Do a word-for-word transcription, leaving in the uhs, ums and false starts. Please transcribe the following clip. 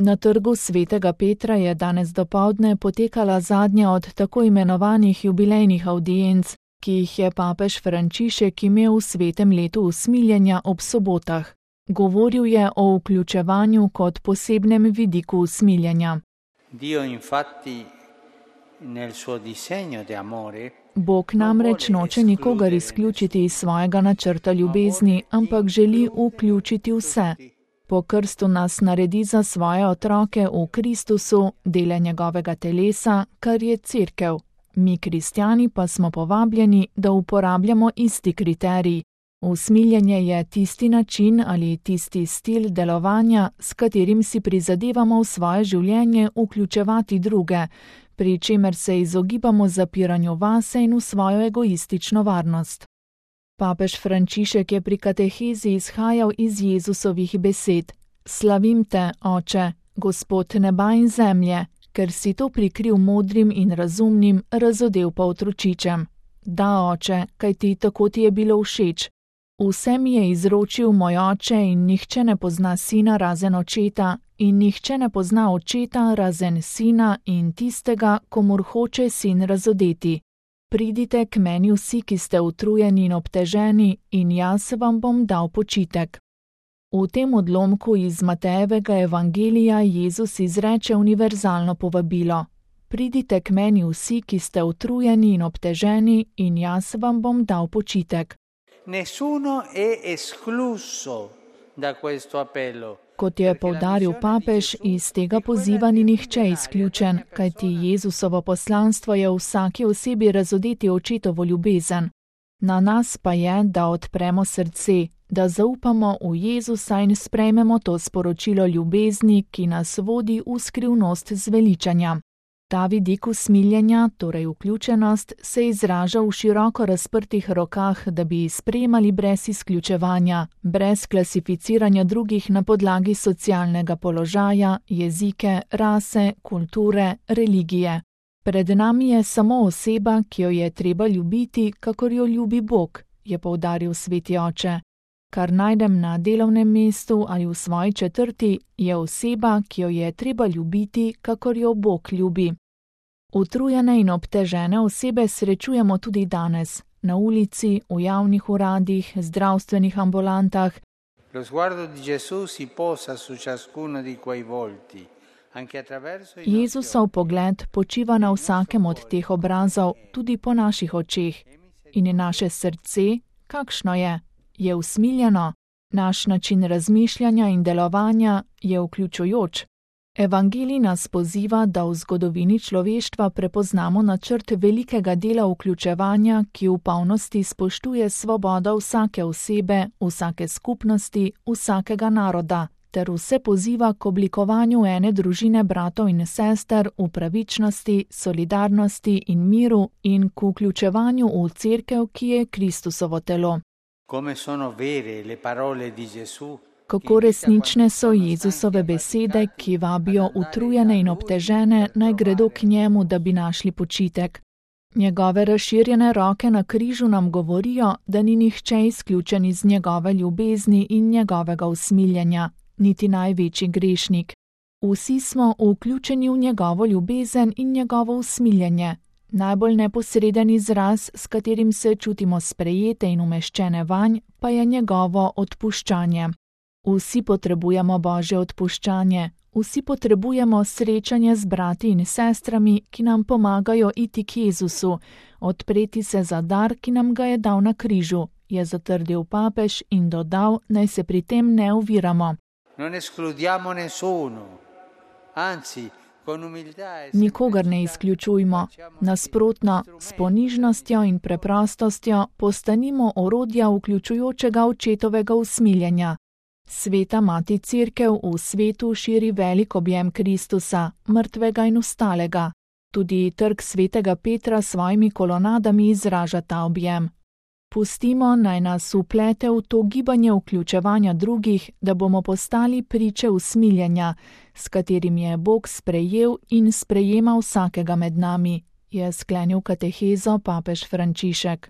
Na trgu svetega Petra je danes dopoldne potekala zadnja od tako imenovanih jubilejnih avdienc, ki jih je papež Frančišek imel v svetem letu usmiljenja ob sobotah. Govoril je o vključevanju kot posebnem vidiku usmiljenja. Dio infatti nel suo disegno di amore Bog namreč noče nikogar izključiti iz svojega načrta ljubezni, ampak želi vključiti vse. Po krstu nas naredi za svoje otroke v Kristusu, dele njegovega telesa, kar je Cerkev. Mi, kristjani, pa smo povabljeni, da uporabljamo isti kriterij. Usmiljenje je tisti način ali tisti stil delovanja, s katerim si prizadevamo v svoje življenje vključevati druge, pri čemer se izogibamo zapiranju vase in v svojo egoistično varnost. Papež Frančišek je pri katehezi izhajal iz Jezusovih besed: Slavim te, Oče, Gospod neba in zemlje, ker si to prikril modrim in razumnim, razodel pa otročičem. Da, Oče, kajti tako ti je bilo všeč. Vse mi je izročil moj oče in nihče ne pozna sina razen očeta in nihče ne pozna očeta razen sina in tistega, komur hoče sin razodeti. Pridite k meni vsi, ki ste utrujeni in obteženi, in jaz vam bom dal počitek. V tem odlomku iz Matejevega evangelija Jezus izreče univerzalno povabilo. Pridite k meni vsi, ki ste utrujeni in obteženi, in jaz vam bom dal počitek. Nessuno è escluso da questo appello. Kot je poudaril papež, iz tega poziva ni nihče izključen, kajti Jezusovo poslanstvo je v vsaki osebi razodeti očetovo ljubezen. Na nas pa je, da odpremo srce, da zaupamo v Jezusa in sprejmemo to sporočilo ljubezni, ki nas vodi v skrivnost zveličanja. Ta vidik usmiljenja, torej vključenost, se izraža v široko razprtih rokah, da bi sprejemali brez izključevanja, brez klasificiranja drugih na podlagi socialnega položaja, jezike, rase, kulture, religije. Pred nami je samo oseba, ki jo je treba ljubiti, kakor jo ljubi Bog, je poudaril sveti oče. Kar najdem na delovnem mestu ali v svoji četrti, je oseba, ki jo je treba ljubiti, kakor jo Bog ljubi. Utrujene in obtežene osebe srečujemo tudi danes, na ulici, v javnih uradih, zdravstvenih ambulantah. Lo sguardo di Gesù si posa su ciascuno di quei volti, anche attraverso i Jezusov pogled počiva na vsakem od teh obrazov, tudi po naših očeh. In naše srce, kakšno je? Je usmiljeno? Naš način razmišljanja in delovanja je vključujoč? Evangelij nas poziva, da v zgodovini človeštva prepoznamo načrt velikega dela vključevanja, ki v polnosti spoštuje svobodo vsake osebe, vsake skupnosti, vsakega naroda, ter vse poziva k oblikovanju ene družine bratov in sester v pravičnosti, solidarnosti in miru in k vključevanju v Cerkev, ki je Kristusovo telo. Come sono vere le parole di Gesù. Kako resnične so Jezusove besede, ki vabijo utrujene in obtežene, naj gredo k njemu, da bi našli počitek. Njegove razširjene roke na križu nam govorijo, da ni nihče izključen iz njegove ljubezni in njegovega usmiljenja, niti največji grešnik. Vsi smo vključeni v njegovo ljubezen in njegovo usmiljenje. Najbolj neposreden izraz, s katerim se čutimo sprejete in umeščene vanj, pa je njegovo odpuščanje. Vsi potrebujemo Božje odpuščanje, vsi potrebujemo srečanje z brati in sestrami, ki nam pomagajo iti k Jezusu, odpreti se za dar, ki nam ga je dal na križu, je zatrdil papež in dodal, naj se pri tem ne oviramo. Non escludiamo nessuno, anzi, con umiltà e Nikogar ne izključujmo, nasprotno, s ponižnostjo in preprostostjo postanimo orodja vključujočega očetovega usmiljenja. Sveta mati Cerkev v svetu širi velik objem Kristusa, mrtvega in vstalega. Tudi trg svetega Petra s svojimi kolonadami izraža ta objem. Pustimo, naj nas vplete v to gibanje vključevanja drugih, da bomo postali priče usmiljenja, s katerim je Bog sprejel in sprejema vsakega med nami, je sklenil katehezo papež Frančišek.